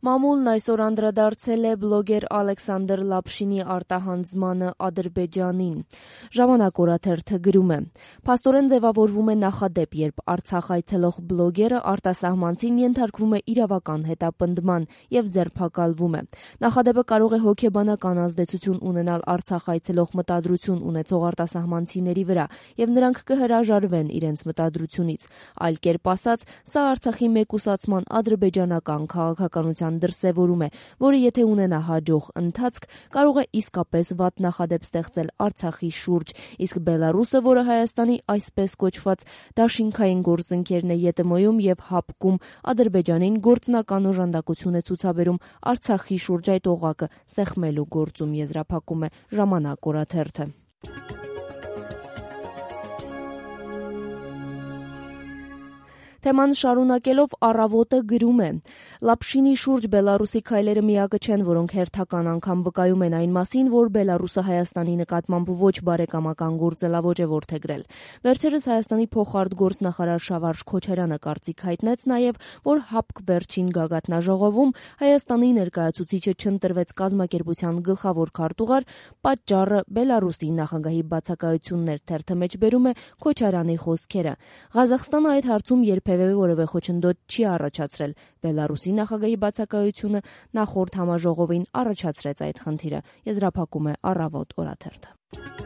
Մամուլն այսօր անդրադարձել է բլոգեր Ալեքսանդր Լապշինի արտահանձնմանը Ադրբեջանին։ Ժամանակ օրաթերթը գրում է. «Փաստորեն ձևավորվում է նախադեպ, երբ Արցախ այցելող բլոգերը արտասահմանցին ենթարկվում է իրավական հետապնդման եւ ձերբակալվում է։ Նախադեպը կարող է հոգեբանական ազդեցություն ունենալ Արցախ այցելող մտադրություն ունեցող արտասահմանցիների վրա, եւ նրանք կհրաժարվեն իրենց մտադրությունից։ Այլ կերպ ասած, սա Արցախի մեկուսացման ադրբեջանական քաղաքականության դրսևորում է, որը եթե ունենա հաջող ընթացք, կարող է իսկապես վատ նախադեպ ստեղծել Արցախի շուրջ, իսկ Բելարուսը, որը Հայաստանի այսպես կոչված դաշինքային գործընկերն է ԵՏՄ-ում եւ ՀԱՊԿ-ում, Ադրբեջանին գործնական օժանդակություն է ցուցաբերում Արցախի շուրջ այդ օղակը սեղմելու գործում», եզրափակում է «Ժամանակ» օրաթերթը։ Թեման շարունակելով Առավոտը գրում է. «Լապշինի շուրջ Բելարուսի քայլերը միակը չեն, որոնք հերթական անգամ վկայում են այն մասին, որ Բելարուսը Հայաստանի նկատմամբ ոչ բարեկամական գործելավոճ է որդեգրել։ Վերջերս Հայաստանի փոխարտգործնախարար Շավարժ Քոչարյանը կարծիք հայտնեց նաև, որ ՀԱՊԿ վերջին գագաթնաժողովում Հայաստանի ներկայացուցիչը չընտրվեց կազմակերպության գլխավոր քարտուղար, պատճառը Բելարուսի նախագահի բացակայությունն էր», թերթը մեջբերում է Քոչարյանի խոսքերը։ Ղազախստանը այդ հարցում երբևէ որևէ խոչընդոտ չի առաջացրել։ Բելարուսի նախագահի բացակայությունը նախորդ համաժողովին առաջացրեց այդ խնդիրը, եզրափակում է Առավոտ օրաթերթը։